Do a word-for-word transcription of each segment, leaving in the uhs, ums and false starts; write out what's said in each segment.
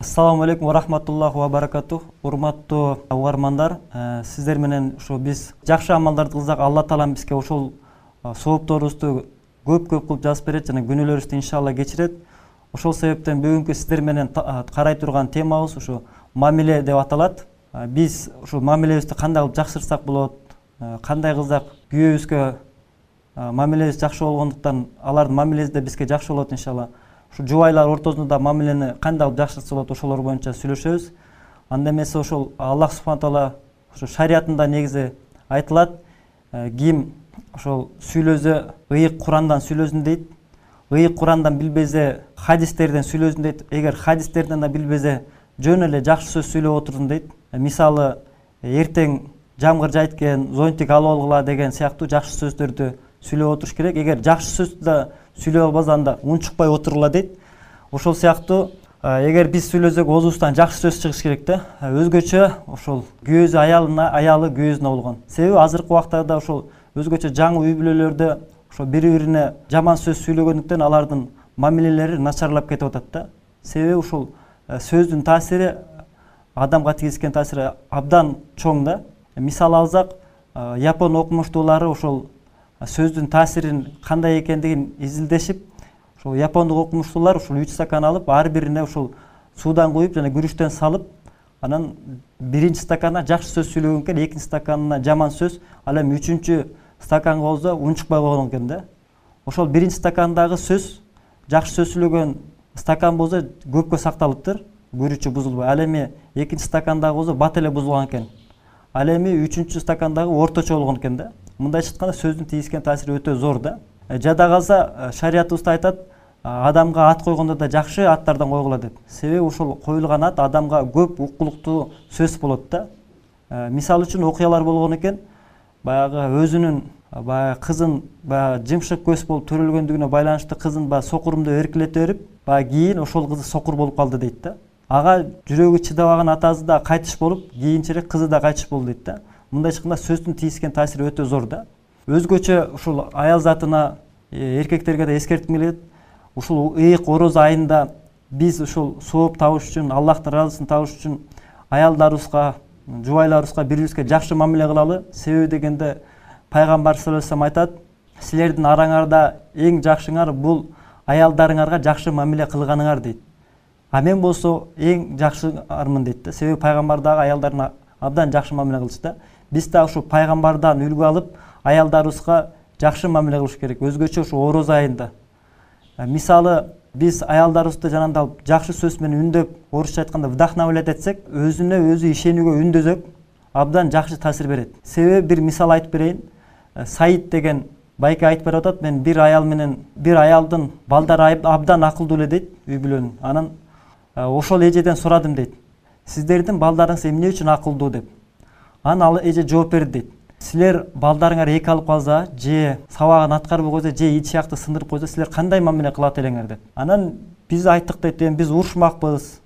Assalamu alaikum wa rahmatullohi wa barakatuh. Урматтуу угармандар, сиздер менен ошо биз жакшы амалдарды кылсак, Алла Таалам бизге ошол соопторубузду көп-көп кылып жазып берет жана күнөөлөрүбүздү иншалла кечирет. Ошол себептен бүгүнкү сиздер менен карай турган темабыз ошо мамиле деп аталат. Биз ошо мамилебизди кандай кылып жакшыртсак болот, кандай кылсак күйөөбүзгө мамилебиз жакшы болгондуктан алардын мамилеси да бизге жакшы болот иншалла. Ошо жубайлар ортосунда мамилени кандай кылып жакшыртса болот, ошолор боюнча сүйлөшөбүз. Анда эмесе ошол Аллах субхана таала ошо шариятында негизи айтылат, ким ошол сүйлөсө ыйык Курандан сүйлөсүн дейт. Ыйык Курандан билбесе хадистерден сүйлөсүн дейт. Эгер хадистерден да билбесе жөн эле жакшы сөз сүйлөп отурдун дейт. Мисалы, эртең жамгыр жайт экен, зонтик алып алгыла деген сыяктуу жакшы сөздөрдү сүйлөп отуруш керек. Эгер жакшы сөздү да сүйлөп албаса анда унчукпай отургула дейт. Ошол сыяктуу эгер биз сүйлөсөк оозубуздан жакшы сөз чыгыш керек да. Өзгөчө ошол күйөөсү аялына, аялы күйөөсүнө болгон. Себеби азыркы убактарда ошол өзгөчө жаңы үй бүлөлөрдө ошо бири-бирине жаман сөз сүйлөгөндүктөн алардын мамилелери начарлап кетип атат да. Себеби ушул сөздүн таасири, адамга тийгизген таасири абдан чоң да. Мисал алсак, Япон окумуштуулары ошол сөздүн таасирин кандай экендигин изилдешип, ошол япондук окумуштуулар ушул үч стакан алып, ар бирине ушул суудан куюп жана күрүчтөн салып, анан биринчи стаканына жакшы сөз сүйлөгөн экен, экинчи стаканына жаман сөз, ал эми үчүнчү стаканга болсо унчукпай койгон экен да. Ошол биринчи стакандагы сөз, жакшы сөз сүйлөгөн стакан болсо көпкө сакталыптыр, күрүчү бузулбай. Ал эми экинчи стакандагы болсо бат эле бузулган экен. Ал эми үчүнчү стакандагы орточо болгон экен да. Мындайча айтканда сөздүн тийгизген таасири өтө зор да. Жада калса шариятыбызда айтат, адамга ат койгондо да жакшы аттардан койгула деп. Себеби ошол коюлган ат адамга көп укулуктуу сөз болот да. Мисалы үчүн окуялар болгон экен, баягы өзүнүн баягы кызын баягы жымшык көз болуп төрөлгөндүгүнө байланыштуу кызын баягы сокурумду эркелете берип, баягы кийин ошол кызы сокур болуп калды дейт да. Ага жүрөгү чыдабаган атасы да кайтыш болуп, кийинчерээк кызы да кайтыш болду дейт да. Мындайча айтканда сөздүн тийгизген таасири өтө зор да. Өзгөчө ушул аял затына, эркектерге да эскертким келет. Ушул ыйык ороз айында биз ушул сооп табыш үчүн, Аллахтын ыраазысын табыш үчүн аялдарыбызга, жубайларыбызга, бири-бирибизге жакшы мамиле кылалы. Себеби дегенде пайгамбар саллаллаху алейхи вассалам айтат, силердин араңарда эң жакшыңар бул аялдарыңарга жакшы мамиле кылганыңар дейт. А мен болсо эң жакшыңармын дейт да. Себеби пайгамбар дагы аялдарына абдан жакшы мамиле кылчу да. Биз да ушу пайгамбардан үлгү алып, аялдарыбызга жакшы мамиле кылыш керек. Өзгөчө ушу ороз айында. Мисалы, биз аялдарыбызды жанагындай алып жакшы сөз менен үндөп, орусча айтканда вдохновлять этсек, өзүнө өзү ишенүүгө үндөсөк, абдан жакшы таасир берет. Себеби бир мисал айтып берейин. Саид деген байке айтып берип атат, мен бир аял менен, бир аялдын балдары абдан акылдуу эле дейт, үй бүлөнүн. Анан ошол эжеден сурадым дейт. Сиздердин балдарыңыз эмне үчүн акылдуу деп. Анан ал эже жооп берди дейт. Силер балдарыңар эки алып калса, же сабагын аткарбай койсо, же ич аякты сындырып койсо, силер кандай мамиле кылат элеңер деп. Анан биз айттык дейт, эми биз урушмакпыз.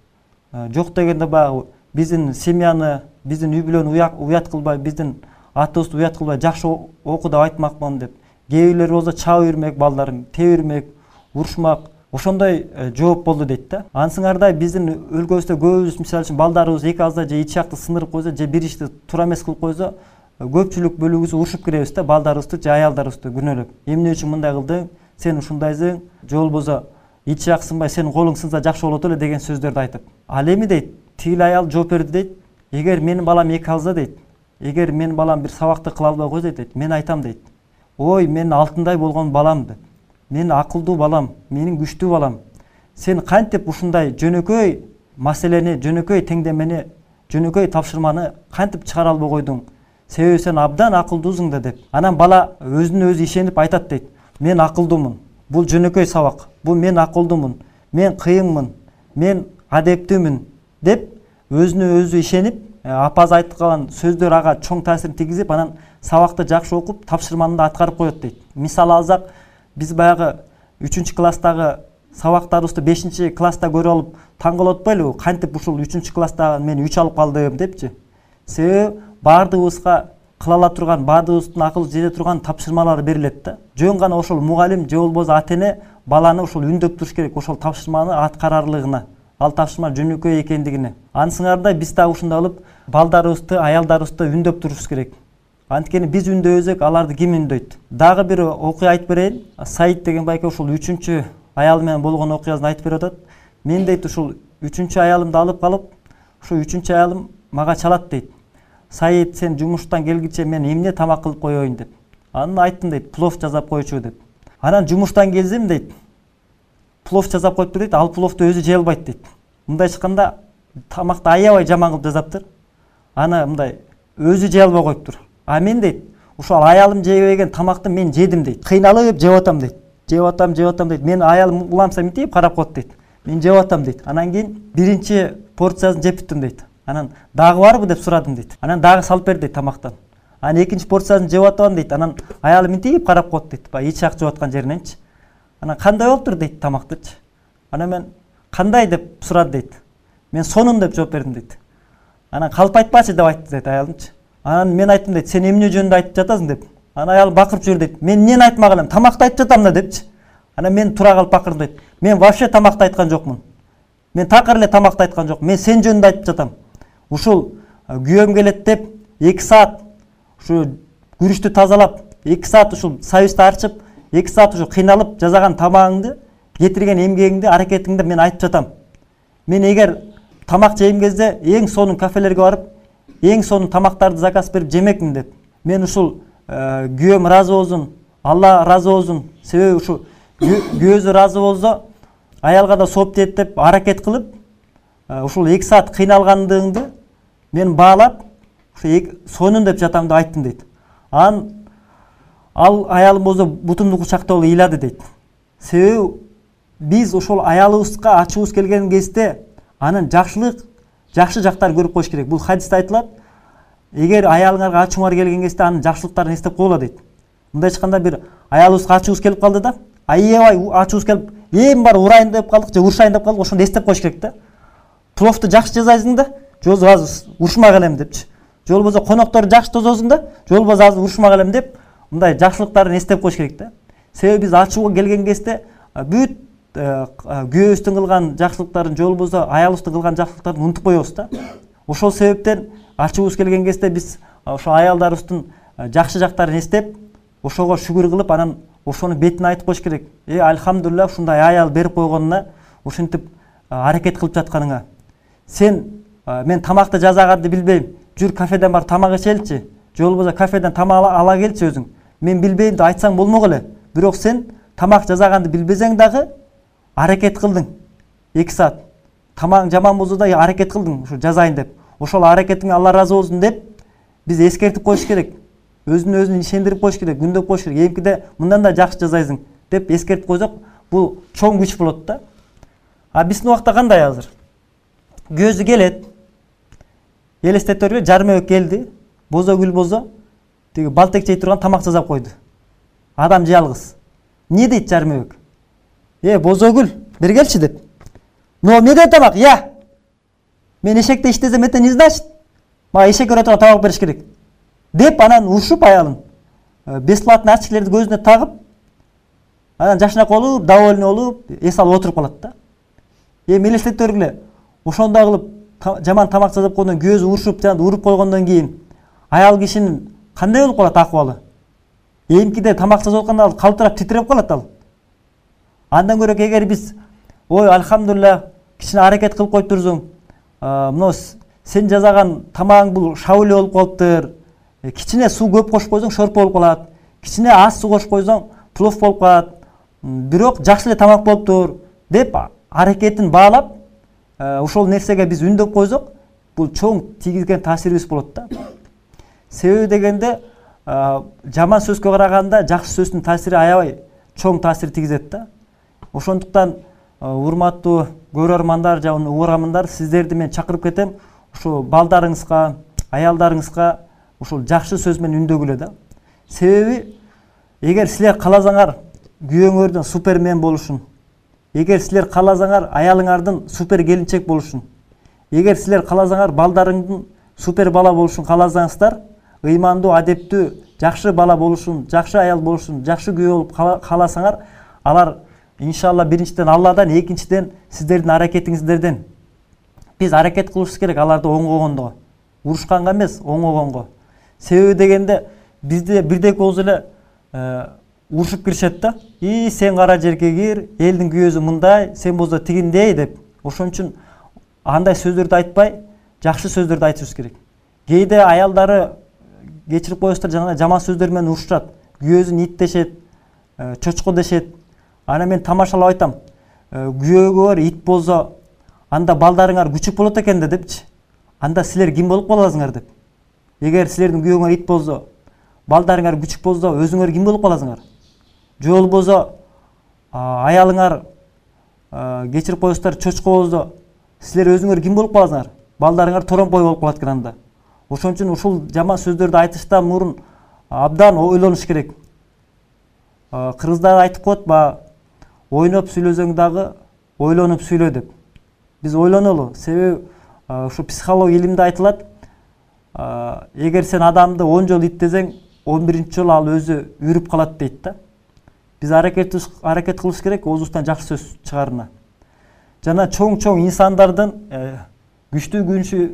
Жок дегенде баягы биздин семьяны, биздин үй бүлөнү уят кылбай, биздин атыбызды уят кылбай жакшы оку деп айтмакмын деп. Кээ бирлер болсо чаап үйрмөк балдарын, теп үйрмөк, урушмак. Ошондой жооп болду дейт да. Ансыңардай биздин өлкөбүздө көбүбүз мисалы үчүн балдарыбыз эки алса, же ич аякты сындырып койсо, же бир ишти туура эмес кылып койсо, көпчүлүк бөлүгүбүз урушуп киребиз да, балдарыбызды же аялдарыбызды күнөөлөп. Эмне үчүн мындай кылдың? Сен ушундайсың, же болбосо ич аяк сынбай, сенин колуң сынса жакшы болот эле деген сөздөрдү айтып. Ал эми дейт, тигил аял жооп берди дейт. Эгер менин балам эки алса дейт, эгер менин балам бир сабакты кыла албай койсо дейт, мен айтам дейт. Ой, мен алтындай болгон балам деп. Мен акылдуу балам, менин күчтүү балам. Сен кантип ушундай жөнөкөй маселени, жөнөкөй теңдемени, жөнөкөй тапшырманы кантип чыгара албай койдуң? Себеби сен абдан акылдуусуң да деп. Анан бала өзүнө өзү ишенип айтат дейт. Мен акылдуумун. Бул жөнөкөй сабак. Бул мен акылдуумун. Мен кыйынмын. Мен адептүүмүн деп өзүнө өзү ишенип, апасы айткан сөздөр ага чоң таасирин тийгизип, анан сабакты жакшы окуп, тапшырманы да аткарып коет дейт. Мисал алсак, биз баягы үчүнчү класстагы сабактарыбызды бешинчи класста көрүп алып таң калып атпайлыбы? Кантип ушул үчүнчү класста мен үч алып калдым депчи? Себеби баардыгыбызга кыла ала турган, баардыгыбыздын акыл жете турган тапшырмалар берилет да. Жөн гана ошол мугалим же болбосо ата-эне баланы ошол үндөп туруш керек, ошол тапшырманы аткарарлыгына. ал тапшырма жөнөкөй экендигине. Анысыңардай биз дагы ушундай алып балдарыбызды, аялдарыбызды үндөп турушубуз керек. Анткени биз үндөбөсөк, аларды ким үндөйт? Дагы бир окуя айтып берейин. Саид деген байке ушул үчүнчү аялы менен болгон окуясын айтып берип атат. Мен дейт ушул үчүнчү аялымды алып калып, ушул үчүнчү аялым мага чалат дейт. Саид, сен жумуштан келгиче мен эмне тамак кылып коеюн деп. Анан айттым дейт, плов жасап койчу деп. Анан жумуштан келсем дейт, плов жасап коюптур дейт, ал пловду өзү жей албайт дейт. Мындай чыкканда тамакты аябай жаман кылып жасаптыр. Аны мындай өзү жей албай коюптур. А мен дейт, ушул аялым жебеген тамакты мен жедим дейт. Кыйналып жеп атам дейт. Жеп атам, жеп атам дейт. Мен аялым уламса мынтип карап коет дейт. Мен жеп атам дейт. Анан кийин биринчи порциясын жеп бүттүм дейт. Анан дагы барбы деп сурадым дейт. Анан дагы салып берди дейт тамактан. Анан экинчи порциясын жеп атам дейт. Анан аялым мынтип карап коет дейт. Баягы ичак жеп аткан жериненчи. Анан кандай болуптур дейт тамактычы. Анан мен кандай деп сурады дейт. Мен сонун деп жооп бердим дейт. Анан калп айтпачы деп айтты дейт аялымчы. Анан мен айттым дейт, сен эмне жөнүндө айтып жатасың деп. Анан аялым бакырып жиберди дейт. Мен эмнени айтмак элем? Тамакты айтып жатам да депчи. Анан мен тура калып бакырдым дейт. Мен вообще тамакты айткан жокмун. Мен такыр эле тамакты айткан жокмун. Мен сен жөнүндө айтып жатам. Ушул күйөөм келет деп эки саат ушу күрүчтү тазалап, эки саат ушул союзду арчып, эки саат ушу кыйналып жасаган тамагыңды, кетирген эмгегиңди, аракетиңди мен айтып жатам. Мен эгер тамак жейм кезде эң сонун кафелерге барып, эң сонун тамактарды заказ берип жемекмин деп. Мен ушул күйөөм ыраазы болсун, Алла ыраазы болсун. Себеби ушул күйөөсү ыраазы болсо, аялга да сооп тиет деп аракет кылып, ушул эки саат кыйналгандыгыңды мен баалап, ушу сонун деп жатам деп айттым дейт. Анан ал аялым болсо бутумду кучактап алып ыйлады дейт. Себеби биз ошол аялыбызга ачуубуз келген кезде анын жакшылык, жакшы жактарын көрүп коюш керек. Бул хадисте айтылат. Эгер аялыңарга ачууңар келген кезде анын жакшылыктарын эстеп койгула дейт. Мындай чыкканда бир аялыбызга ачуубуз келип калды да, аябай ачуубуз келип, эми бар урайын деп калдык же урушайын деп калдык, ошондо эстеп коюш керек да. Пловду жакшы жасайсың да, же болбосо азыр урушмак элем депчи. Же болбосо конокторду жакшы тососуң да, же болбосо азыр урушмак элем деп, мындай жакшылыктарын эстеп коюш керек да. Себеби биз ачууга келген кезде бүт күйөөбүздүн кылган жакшылыктарын, же болбосо аялыбыздын кылган жакшылыктарын унутуп коебуз да. Ошол себептен ачуубуз келген кезде биз ошо аялдарыбыздын жакшы жактарын эстеп, ошого шүгүр кылып, анан ошонун бетине айтып коюш керек. Э, альхамдулилля, ушундай аял берип койгонуна, ушинтип аракет кылып жатканыңа. Сен мен тамакты жасаганды билбейм. Жүр кафеден бар тамак ичеличи. Же болбосо кафеден тамак ала келчи өзүң. Мен билбейм деп айтсаң болмок эле. Бирок сен тамак жасаганды билбесең дагы аракет кылдың. эки саат. Тамагың жаман болсо да аракет кылдың, ушу жазайын деп. Ошол аракетиңе Алла ыраазы болсун деп биз эскертип коюш керек. Өзүн өзүн ишендирип коюш керек, күндөп коюш керек. Эмкиде мындан да жакшы жасайсың деп эскертип койсок, бул чоң күч болот да. А биздин убакта кандай азыр? Көзү келет. Элестетербе, жармебек келди. Бозогүл бозо тиги балтек жей турган тамак жасап койду. Адам жалгыз. Не дейт жармебек? Э, Бозогүл, бери келчи деп. Но эмне тамак? Я. Мен эшекте иштесем это не значит. Мага эшек өрө турган тамак бериш керек. Деп анан урушуп аялын бесплатный ачкилерди көзүнө тагып, анан жашынак болуп, довольный болуп, эс алып отуруп калат да. Эми элестетип көргүлө. Ошондой кылып жаман тамак жасап койгондон көзү урушуп, жана уруп койгондон кийин аял кишинин кандай болуп калат акыбалы? Эмкиде тамак жасап атканда ал калтырап титиреп калат ал. Андан көрө эгер биз, ой, альхамдулилля, кичине аракет кылып коюптурсуң. Мына сен жасаган тамагың бул шауле болуп калыптыр. Кичине суу көп кошуп койсоң шорпо болуп калат. Кичине аз суу кошуп койсоң плов болуп калат. Бирок жакшы эле тамак болуптур деп аракетин баалап, ошол нерсеге биз үндөп койсок, бул чоң тийгизген таасирибиз болот да. Себеби дегенде жаман сөзгө караганда жакшы сөздүн таасири аябай чоң таасир тийгизет да. Ошондуктан урматтуу көрөрмандар жана угармандар, сиздерди мен чакырып кетем, ушу балдарыңызга, аялдарыңызга ушул жакшы сөз менен үндөгүлө да. Себеби эгер силер кааласаңар күйөөңөрдүн супермен болушун, эгер силер кааласаңар аялыңардын супер келинчек болушун, эгер силер кааласаңар балдарыңдын супер бала болушун кааласаңыздар, ыймандуу, адептүү, жакшы бала болушун, жакшы аял болушун, жакшы күйөө болуп кааласаңар, алар иншалла биринчиден Алладан, экинчиден сиздердин аракетиңиздерден Биз аракет кылышыбыз керек аларды оңгогондо, урушканга эмес, оңгогонго. Себеби дегенде бизде бирдек болсо эле урушуп киришет да. И сен кара жерге кир, элдин күйөөсү мындай, сен болсо тигиндей деп. Ошон үчүн андай сөздөрдү айтпай, жакшы сөздөрдү айтышыбыз керек. Кээде аялдары кечирип коесуздар, жана жаман сөздөр менен урушат. Күйөөсүн ит дешет, чочко дешет. Ана мен тамашалап айтам. Күйөөгөр ит болсо, анда балдарыңар күчүк болот экен да депчи. Анда силер ким болуп каласыңар деп. Эгер силердин күйөөңөр ит болсо, балдарыңар күчүк болсо, өзүңөр ким болуп каласыңар? Же болбосо аялыңар кечирип коесуздар, чочко болсо, силер өзүңөр ким болуп каласыңар? Балдарыңар торомпой болуп калат экен анда. Ошон үчүн ушул жаман сөздөрдү айтыштан мурун абдан ойлонуш керек. Кыргыздар айтып коет, ба ойноп сүйлөсөң дагы ойлонуп сүйлө деп. Биз ойлонолу. Себеби ушу психология илимде айтылат. Эгер сен адамды он жолу иттесең, он биринчи жолу ал өзү үрүп калат дейт да. Биз аракет аракет кылыш керек оозубуздан жакшы сөз чыгарына. Жана чоң-чоң инсандардын, күчтүү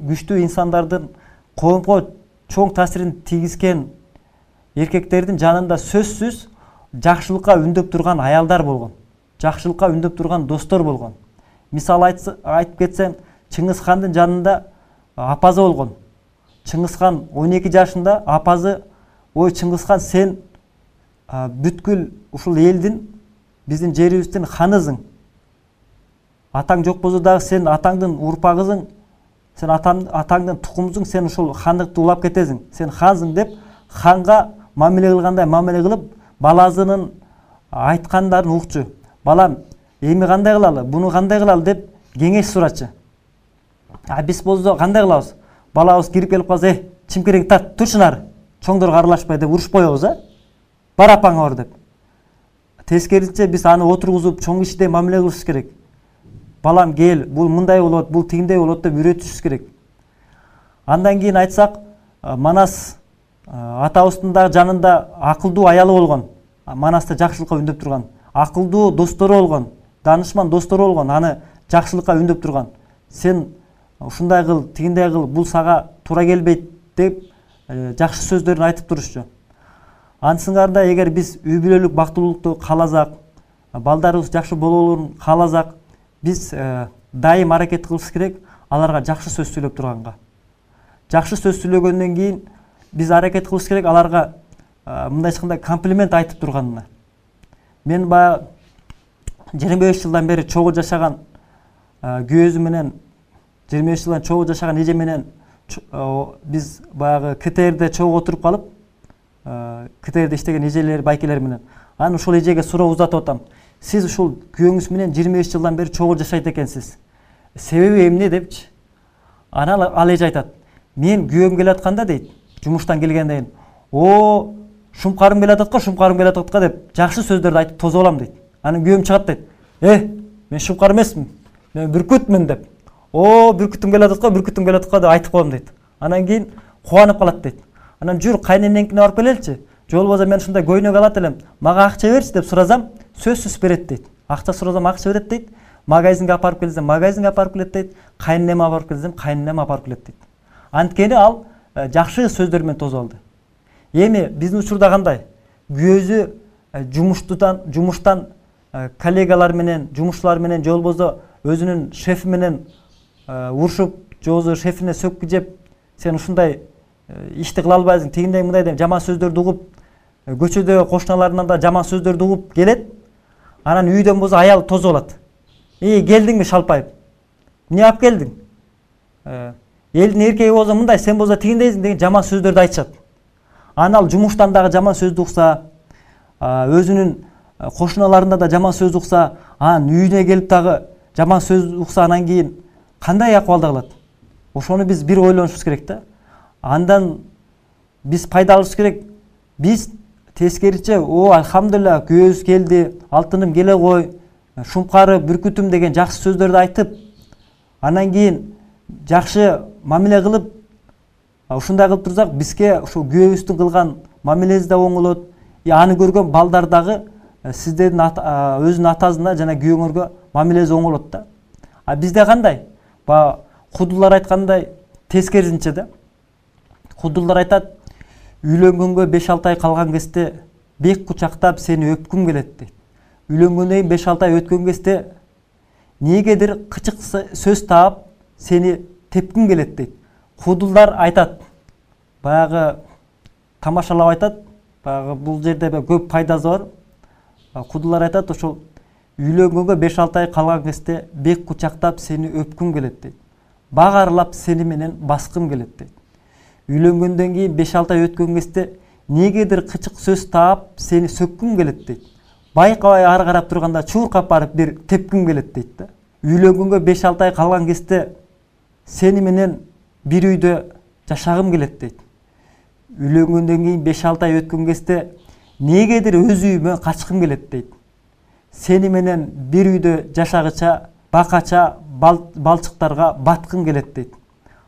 күчтүү инсандардын коомго чоң таасирин тийгизген эркектердин жанында сөзсүз жакшылыкка үндөп турган аялдар болгон. Жакшылыкка үндөп турган достор болгон. Мисал айтып кетсем, Чыңгыз хандын жанында апазы болгон. Чыңгыз хан он эки жашында апазы, ой Чыңгыз хан, сен бүткүл ушул элдин, биздин жерибиздин ханысың. Атаң жок болсо дагы сен атаңдын урпагысың, сен атаңдын тукумусуң, сен ушул хандыкты улап кетесиң. Сен хансың деп ханга мамиле кылгандай мамиле кылып, баласынын айткандарын укчу. Балам, эми кандай кылалы, буну кандай кылалы деп кеңеш сурачы. А биз болсо кандай кылабыз? Балабыз кирип келип калса, "Э, чимкирең тарт, турчу нары. Чоңдор аралашпай" деп уруш коебуз, а? Бар апаңа бар деп. Тескерисинче биз аны отургузуп, чоң кишидей мамиле кылышыбыз керек. Балам кел, бул мындай болот, бул тигиндей болот деп үйрөтүшүбүз керек. Андан кийин айтсак, Манас атабыздын да жанында акылдуу аялы болгон. Манаста жакшылыкка үндөп турган. Акылдуу достору болгон, данышман достору болгон, аны жакшылыкка үндөп турган. Сен ушундай кыл, тигиндей кыл, бул сага туура келбейт деп жакшы сөздөрүн айтып турушчу. Ансыңарда эгер биз үй бүлөлүк бактылуулукту кааласак, балдарыбыз жакшы болоолорун кааласак, биз дайым аракет кылышыбыз керек аларга жакшы сөз сүйлөп турганга. Жакшы сөз сүйлөгөндөн кийин биз аракет кылыш керек аларга мындайча комплимент айтып турганына. Мен баягы жыйырма беш жылдан бери чогуу жашаган күйөөзү менен, жыйырма беш жылдан чогуу жашаган эже менен биз баягы КТРде чогуу отуруп калып, КТРде иштеген эжелер, байкелер менен. Аны ушул эжеге суроо узатып атам. Сиз ушул күйөөңүз менен жыйырма беш жылдан бери чогуу жашайт экенсиз. Себеби эмне депчи? Анан ал эже айтат: "Мен күйөөм келатканда" дейт, жумуштан келгенден кийин, "О, шумкарым келатат го, шумкарым келатат го" деп жакшы сөздөрдү айтып тозуп алам дейт. Анан күйөөм чыгат дейт: "Э, мен шумкар эмесмин, мен бүркүтмүн" деп. "О, бүркүтүм келатат го, бүркүтүм келатат го" деп айтып коем дейт. Анан кийин кубанып калат дейт. Анан "Жүр, кайненеңкине барып келеличи. Же болбосо мен ушундай көйнөк алат элем, мага акча берчи" деп сурасам, сөзсүз берет дейт. Акча сурасам акча берет дейт. Магазинге апарып келсем, магазинге апарып келет дейт. Кайненеме апарып келсем, кайненеме апарып келет дейт. Анткени ал жакшы сөздөр менен тосуп алды. Эми биздин учурда кандай? Күйөөсү жумуштан, жумуштан коллегалар менен, жумушчулар менен, же болбосо өзүнүн шефи менен урушуп, же болбосо шефине сөккү жеп, сен ушундай ишти кыла албайсың, тигиндей мындай деп жаман сөздөрдү угуп, көчөдөгү кошуналарынан да жаман сөздөрдү угуп келет. Анан үйдөн болсо аял тозуп алат. "Эй, келдиңби шалпайып? Эмне алып келдиң? Элдин эркеги болсо мындай, сен болсо тигиндейсиң" деген жаман сөздөрдү айтышат. Анан ал жумуштан дагы жаман сөздү укса, өзүнүн кошуналарында да жаман сөз укса, анан үйүнө келип дагы жаман сөз укса, анан кийин кандай акыбалда калат? Ошону биз бир ойлонушубуз керек да. Андан биз пайда алышыбыз керек. Биз тескериче, "О, алхамдулилла, күйөөбүз келди, алтыным келе кой, шумкары, бүркүтүм" деген жакшы сөздөрдү айтып, анан кийин жакшы мамиле кылып, ушундай кылып турсак, бизге ушул күйөөбүздүн кылган мамилеси да оңолот. И аны көргөн балдар дагы сиздердин өзүнүн атасына жана күйөөңөргө мамилеси оңолот да. А бизде кандай? Баягы Кудулар айткандай тескерисинче да. Кудулар айтат, үйлөнгөнгө беш алты ай калган кезде бек кучактап сени өпкүм келет дейт. Үйлөнгөндөн кийин беш алты ай өткөн кезде негедир кычык сөз таап сени тепким келет дейт. Кудулар айтат, баягы тамашалап айтат, баягы бул жерде көп пайдасы бар. Кудулар айтат, ошол үйлөнгөнгө беш алты ай калган кезде бек кучактап сени өпкүм келет дейт. Багарлап сени менен баскым келет дейт. Үйлөнгөндөн кийин беш алты ай өткөн кезде негедир кычык сөз таап сени сөккүм келет дейт. Байкабай ары карап турганда чуркап барып бир тепким келет дейт да. Үйлөнгөнгө беш алты ай калган кезде сени менен бир үйдө жашагым келет дейт. Үйлөнгөндөн кийин беш алты ай өткөн кезде негедир өз үйүмө качкым келет дейт. Сени менен бир үйдө жашагыча, бакача, бал, балчыктарга баткым келет дейт.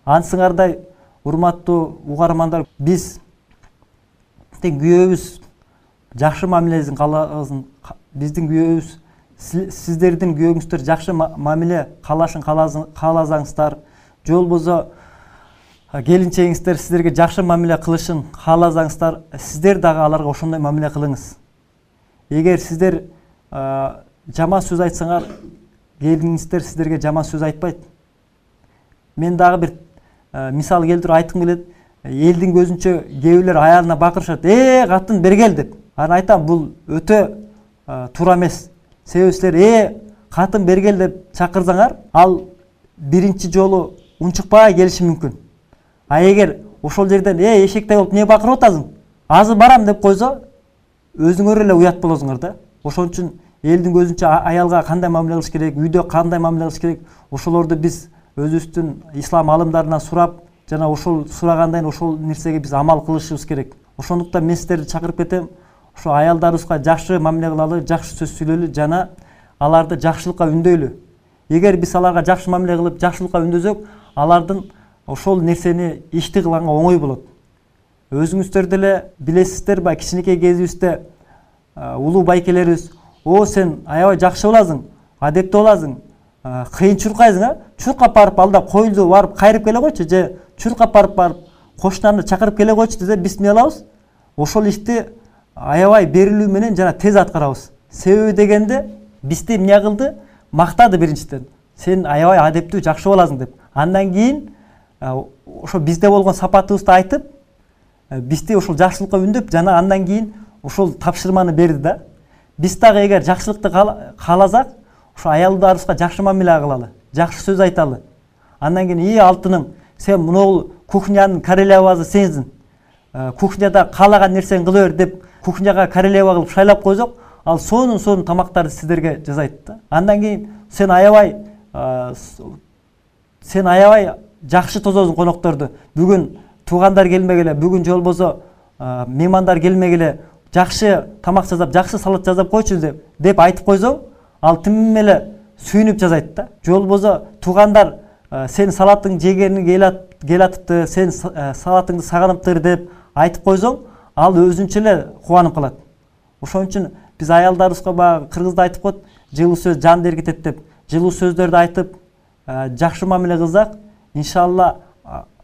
Ансыңардай урматтуу угармандар, биз күйөөбүз жакшы мамилесин кааласын, биздин күйөөбүз, сиздердин күйөөңүздөр жакшы мамиле каалашын кааласаңыздар, же болбосо келинчегиңиздер сиздерге жакшы мамиле кылышын кааласаңыздар, сиздер дагы аларга ошондой мамиле кылыңыз. Эгер сиздер жаман сөз айтсаңар, келиниңиздер сиздерге жаман сөз айтпайт. Мен дагы бир мисал келтирип айткым келет. Элдин көзүнчө кээ бирлер аялына бакырышат, "Э, катын бергел" деп. Анан айтам, бул өтө туура эмес. Себеби силер "Э, катын бергел" деп чакырсаңар, ал биринчи жолу унчукпай келиши мүмкүн. А эгер ошол жерден "Э, эшектей болуп эмне бакырып атасың? Азыр барам" деп койсо, өзүңөр эле уят болосуңар да. Ошон үчүн элдин көзүнчө аялга кандай мамиле кылыш керек, үйдө кандай мамиле кылыш керек, ошолорду биз өзүбүздүн ислам алымдарынан сурап, жана ошол сурагандай ошол нерсеге биз амал кылышыбыз керек. Ошондуктан мен сиздерди чакырып кетем, ошо аялдарыбызга жакшы мамиле кылалы, жакшы сөз сүйлөлү жана аларды жакшылыкка үндөйлү. Эгер биз аларга жакшы мамиле кылып, жакшылыкка үндөсөк, алардын ошол нерсени ишти кылганга оңой болот. Өзүңүздөр деле билесиздер, баягы кичинекей кезибизде улуу байкелерибиз, "О, сен аябай жакшы боласың, адептүү боласың, кыйын чуркайсың, а? Чуркап барып алда коюлду барып кайрып келе койчу, же чуркап барып барып кошунаны чакырып келе койчу" десе, биз эмне кылабыз? Ошол ишти аябай берилүү менен жана тез аткарабыз. Себеби дегенде бизди эмне кылды? Мактады биринчиден. "Сен аябай адептүү, жакшы боласың" деп. Андан кийин ошо бизде болгон сапатыбызды айтып, бизди ошол жакшылыкка үндөп, жана андан кийин ошол тапшырманы берди да. Биз дагы эгер жакшылыкты кааласак, ошо аялдарыбызга жакшы мамиле кылалы, жакшы сөз айталы. Андан кийин "И алтыным, сен мынау кухнянын королевасы сенсиң. Кухняда каалаган нерсени кыла бер" деп кухняга королева кылып шайлап койсок, ал сонун сонун тамактарды сиздерге жасайт да. Андан кийин "Сен аябай сен аябай жакшы тососуң конокторду. Бүгүн туугандар келмегеле, бүгүн же болбосо меймандар келмегеле, жакшы тамак жасап, жакшы салат жасап койчу" деп деп айтып койсоң, ал тим эле сүйүнүп жасайт да. Же болбосо туугандар "Сен салатың жегениң кел атыпты, сен салатыңды сагыныптыр" деп айтып койсоң, ал өзүнчө эле кубанып калат. Ошон үчүн биз аялдарыбызга баягы кыргызда айтып коет, "Жылуу сөз жанды эргитет" деп, жылуу сөздөрдү айтып, жакшы мамиле кылсак, иншалла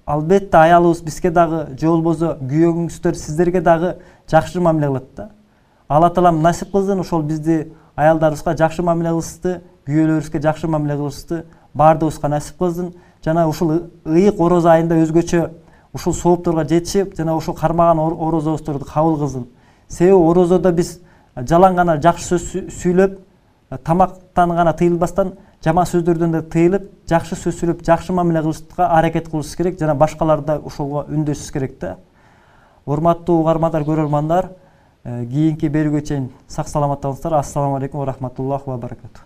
албетте аялыбыз бизге дагы, же болбосо күйөөңүздөр сиздерге дагы жакшы мамиле кылат да. Алла таалам насип кылсын, ошол бизди аялдарыбызга жакшы мамиле кылышты, күйөөлөрүбүзгө жакшы мамиле кылышты, баардыгыбызга насип кылсын. Жана ушул ыйык орозо айында өзгөчө ушул соопторго жетишип, жана ушул кармаган орозобуздарды кабыл кылсын. Себеби орозодо биз жалаң гана жакшы сөз сүйлөп, тамактан гана тыйылбастан, жаман сөздөрдөн да тыйылып, жакшы сөз сүйлөп, жакшы мамиле кылышка аракет кылышыбыз керек, жана башкаларды да ошолго үндөшүбүз керек да. Урматтуу угармандар, көрөрмандар, кийинки берүүгө чейин сак саламатта болуңуздар. Ассаламу алейкум ва рахматуллахи ва баракатух.